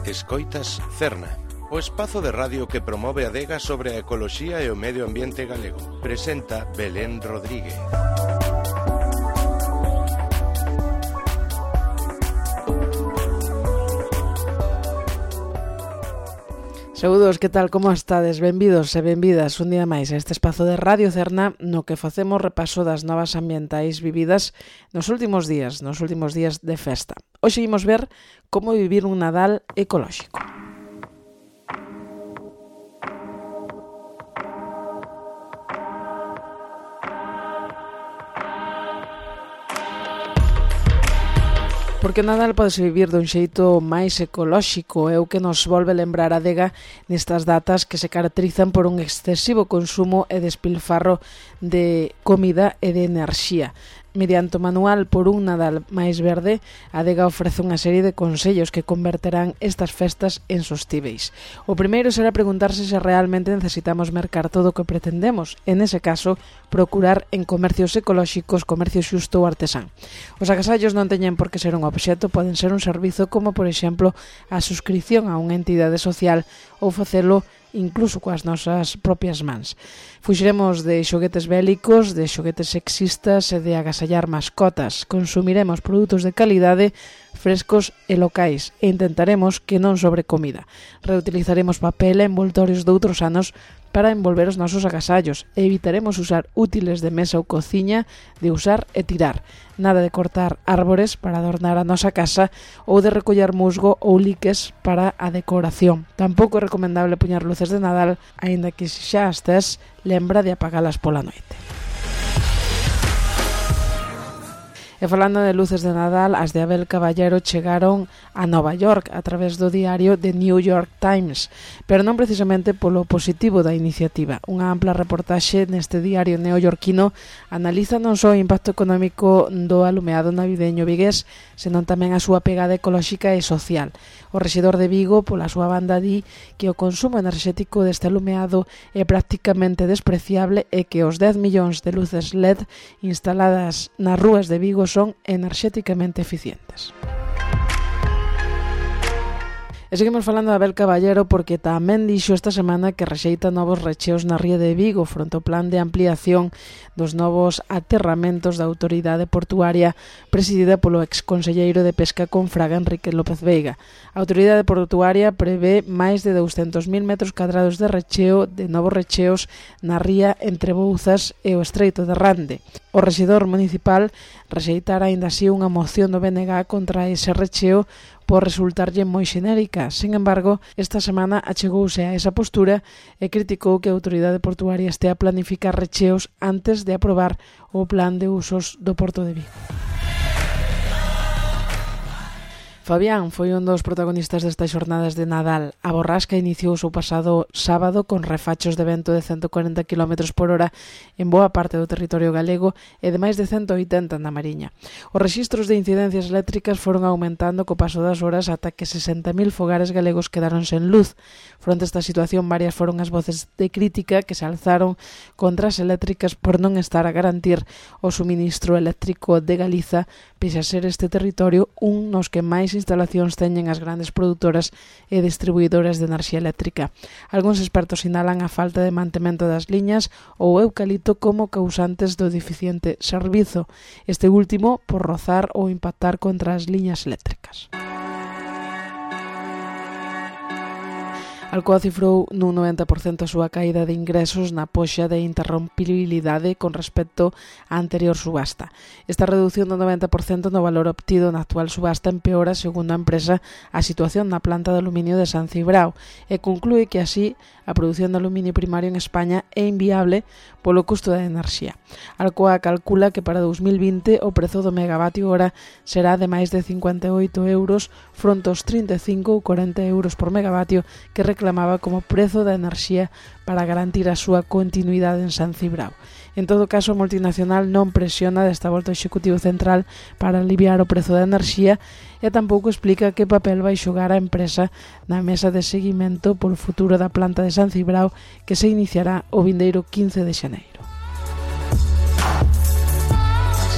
Escoitas Cerna, o espazo de radio que promove a adega sobre a ecoloxía e o medio ambiente galego. Presenta Belén Rodríguez. Saúdos, que tal, como estades? Benvidos e benvidas un día máis a este espazo de Radio Cerna no que facemos repaso das novas ambientais vividas nos últimos días de festa. Hoxe imos ver como vivir un Nadal ecolóxico. Porque o Nadal podese vivir dun xeito máis ecolóxico, é o que nos volve lembrar a adega nestas datas que se caracterizan por un excesivo consumo e despilfarro de comida e de enerxía. Mediante o manual Por un Nadal máis verde, a adega ofrece unha serie de consellos que converterán estas festas en sostíveis. O primeiro será preguntarse se realmente necesitamos mercar todo o que pretendemos, e nese caso, procurar en comercios ecolóxicos, comercio xusto ou artesán. Os agasallos non teñen por que ser un obxecto, poden ser un servizo como, por exemplo, a suscripción a unha entidade social ou facelo incluso coas nosas propias mans. Fuxiremos de xoguetes bélicos, de xoguetes sexistas e de agasallar mascotas. Consumiremos produtos de calidade, frescos e locais e intentaremos que non sobre comida. Reutilizaremos papel e envoltorios de outros anos para envolver os nosos agasallos e evitaremos usar útiles de mesa ou cociña, de usar e tirar. Nada de cortar árbores para adornar a nosa casa ou de recoller musgo ou liques para a decoración. Tampouco é recomendable poñer luces de Nadal, aínda que se xa as tes, lembra de apagalas pola noite. E falando de luces de Nadal, as de Abel Caballero chegaron a Nova York a través do diario The New York Times, pero non precisamente polo positivo da iniciativa. Unha ampla reportaxe neste diario neoyorquino analiza non só o impacto económico do alumeado navideño vigués, senón tamén a súa pegada ecolóxica e social. O rexedor de Vigo, pola súa banda, di que o consumo enerxético deste alumeado é prácticamente despreciable e que os 10 millóns de luces LED instaladas nas rúas de Vigo son enerxéticamente eficientes. E seguimos falando de Abel Caballero porque tamén dixo esta semana que rexeita novos recheos na ría de Vigo fronte ao plan de ampliación dos novos aterramentos da autoridade portuaria presidida polo exconselleiro de Pesca con Fraga, Enrique López Veiga. A autoridade portuaria prevé máis de 200.000 metros cadrados de recheo, de novos recheos na ría entre Bouzas e o Estreito de Rande. O rexedor municipal rexeitara aínda así unha moción do BNG contra ese recheo por resultarlle moi xenérica. Sin embargo, esta semana achegouse a esa postura e criticou que a autoridade portuaria estea a planificar recheos antes de aprobar o plan de usos do Porto de Vigo. Fabián foi un dos protagonistas destas xornadas de Nadal. A borrasca iniciou o pasado sábado con refachos de vento de 140 km por hora en boa parte do territorio galego e de máis de 180 na Mariña. Os rexistros de incidencias eléctricas foron aumentando co paso das horas ata que 60.000 fogares galegos quedaron sen luz. Fronte a esta situación, varias foron as voces de crítica que se alzaron contra as eléctricas por non estar a garantir o suministro eléctrico de Galiza, pese a ser este territorio un nos que máis instalacións teñen as grandes produtoras e distribuidoras de enerxía eléctrica. Algúns expertos sinalan a falta de mantemento das liñas ou o eucalipto como causantes do deficiente servizo, este último por rozar ou impactar contra as liñas eléctricas. Alcoa cifrou nun 90% a súa caída de ingresos na poxa de interrompibilidade con respecto á anterior subasta. Esta reducción do 90% no valor obtido na actual subasta empeora, segundo a empresa, a situación na planta de aluminio de San Cibrao e conclúe que así a produción de aluminio primario en España é inviable polo custo da enerxía. Alcoa calcula que para 2020 o prezo do megavatio hora será de máis de 58 euros fronte aos 35 ou 40 euros por megavatio que reclamaba como prezo da enerxía para garantir a súa continuidade en San Cibrao. En todo caso, a multinacional non presiona desta volta o Executivo Central para aliviar o prezo da enerxía e tampouco explica que papel vai xogar a empresa na mesa de seguimento polo futuro da planta de San Cibrao que se iniciará o vindeiro 15 de xaneiro.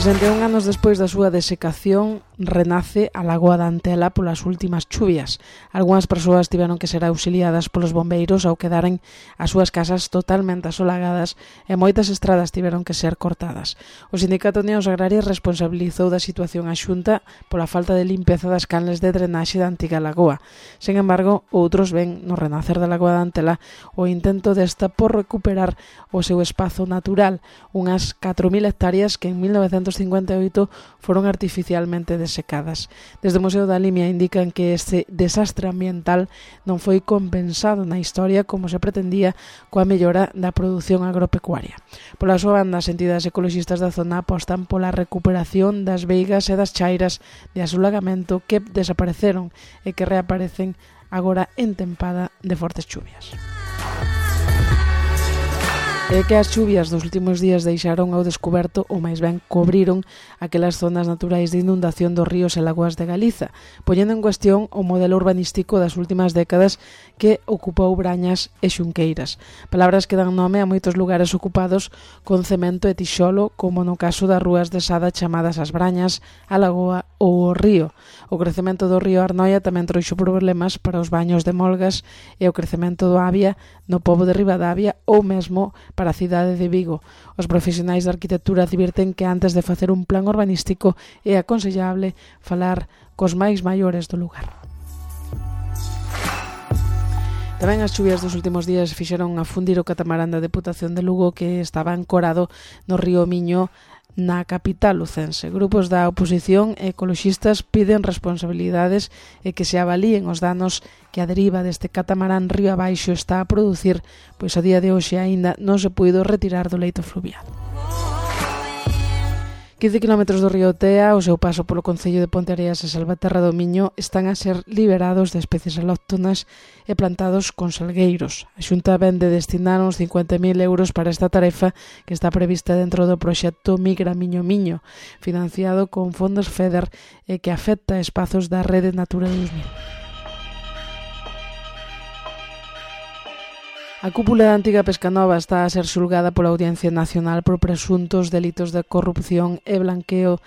61 anos despois da súa desecación, renace a Lagoa da Antela polas últimas chuvias. Algunhas persoas tiveron que ser auxiliadas polos bombeiros ao quedaren as súas casas totalmente asolagadas e moitas estradas tiveron que ser cortadas. O Sindicato Unións Agrarias responsabilizou da situación a Xunta pola falta de limpeza das canles de drenaxe da antiga lagoa. Sen embargo, outros ven no renacer da Lagoa da Antela o intento desta por recuperar o seu espazo natural, unhas 4.000 hectáreas que en 1958 foron artificialmente desecadas. Desde o Museo da Limia indican que este desastre ambiental non foi compensado na historia como se pretendía coa mellora da produción agropecuaria. Pola súa banda, as entidades ecoloxistas da zona apostan pola recuperación das veigas e das chairas de asolagamento que desapareceron e que reaparecen agora en tempada de fortes chuvias. É que as chuvias dos últimos días deixaron ao descoberto ou máis ben cobriron aquelas zonas naturais de inundación dos ríos e lagoas de Galiza, poñendo en cuestión o modelo urbanístico das últimas décadas que ocupou Brañas e Xunqueiras. Palabras que dan nome a moitos lugares ocupados con cemento e tixolo, como no caso das rúas de Sada chamadas as Brañas, a Lagoa ou o río. O crecemento do río Arnoia tamén trouxo problemas para os baños de Molgas e o crecemento do Avia no pobo de Ribadavia ou mesmo para a cidade de Vigo. Os profesionais de arquitectura advirten que antes de facer un plan urbanístico é aconsellable falar cos máis maiores do lugar. Tamén as chuvias dos últimos días fixeron afundir o catamarán da Deputación de Lugo que estaba ancorado no río Miño na capital lucense. Grupos da oposición e ecoloxistas piden responsabilidades e que se avalíen os danos que a deriva deste catamarán río abaixo está a producir, pois a día de hoxe aínda non se puido retirar do leito fluvial. 15 km do río Tea, o seu paso polo concello de Ponteareas e Salvaterra do Miño están a ser liberados de especies alóctonas e plantados con salgueiros. A Xunta ven de destinar uns 50.000 euros para esta tarefa que está prevista dentro do proxecto Migra Miño Miño, financiado con fondos FEDER e que afecta espazos da Rede Natura 2000. A cúpula da antiga Pescanova está a ser xulgada pola Audiencia Nacional por presuntos delitos de corrupción e branqueo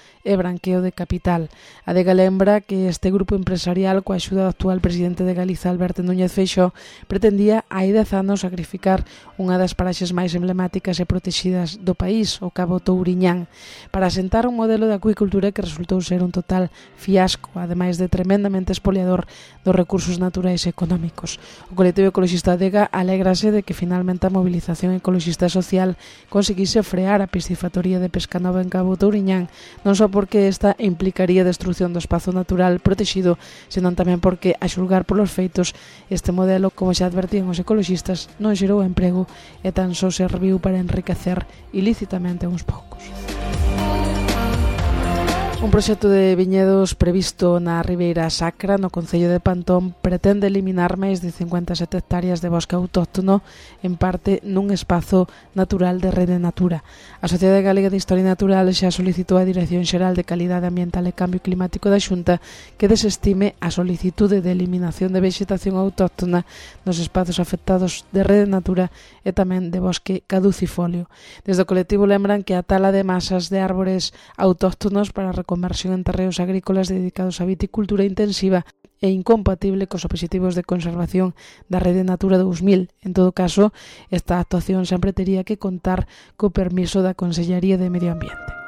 de capital. A Adega lembra que este grupo empresarial, coa axuda do actual presidente de Galiza, Alberto Núñez Feixóo, pretendía hai 10 anos sacrificar unha das paraxes máis emblemáticas e protexidas do país, o Cabo Touriñán, para asentar un modelo de acuicultura que resultou ser un total fiasco, ademais de tremendamente espoliador dos recursos naturais e económicos. O colectivo ecoloxista Adega alégrase de que finalmente a movilización ecoloxista social conseguise frear a piscifactoría de Pescanova en Cabo Touriñán, non só porque esta implicaría a destrucción do espazo natural protexido, senón tamén porque, a xulgar polos feitos, este modelo, como xa advertían os ecoloxistas, non xerou emprego e tan só serviu para enriquecer ilícitamente a uns poucos. Un proxecto de viñedos previsto na Ribeira Sacra, no concello de Pantón, pretende eliminar máis de 57 hectáreas de bosque autóctono, en parte nun espazo natural de Rede Natura. A Sociedade Galega de Historia Natural xa solicitou a Dirección Xeral de Calidade Ambiental e Cambio Climático da Xunta que desestime a solicitude de eliminación de vexetación autóctona nos espazos afectados de Rede Natura e tamén de bosque caducifolio. Desde o colectivo lembran que a tala de masas de árbores autóctonos para conversión en terreos agrícolas dedicados á viticultura intensiva é incompatible cos obxectivos de conservación da Rede Natura 2000. En todo caso, esta actuación sempre tería que contar co permiso da Consellería de Medio Ambiente.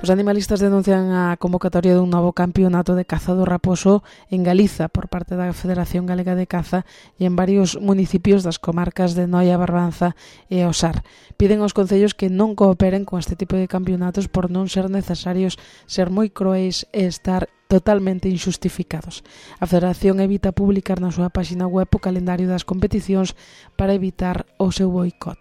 Os animalistas denuncian a convocatoria dun novo campeonato de caza do raposo en Galiza por parte da Federación Galega de Caza e en varios municipios das comarcas de Noia, Barbanza e Osar. Piden aos concellos que non cooperen con este tipo de campeonatos por non ser necesarios ser moi cruéis e estar totalmente injustificados. A Federación evita publicar na súa páxina web o calendario das competicións para evitar o seu boicot.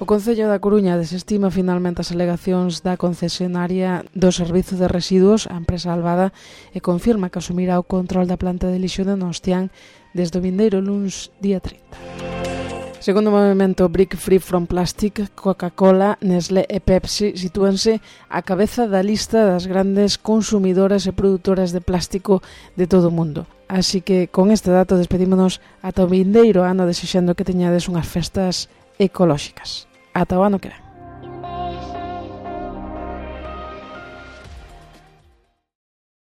O Concello da Coruña desestima finalmente as alegacións da concesionaria do Servizo de Residuos, a empresa Albada, e confirma que asumirá o control da planta de lixo de Nostián desde o vindeiro luns día 30. Segundo o movimento Break Free from Plastic, Coca-Cola, Nestlé e Pepsi sitúanse á cabeza da lista das grandes consumidoras e produtoras de plástico de todo o mundo. Así que con este dato despedímonos ata o vindeiro ano desexando que teñades unhas festas ecolóxicas. Ata o ano que ven.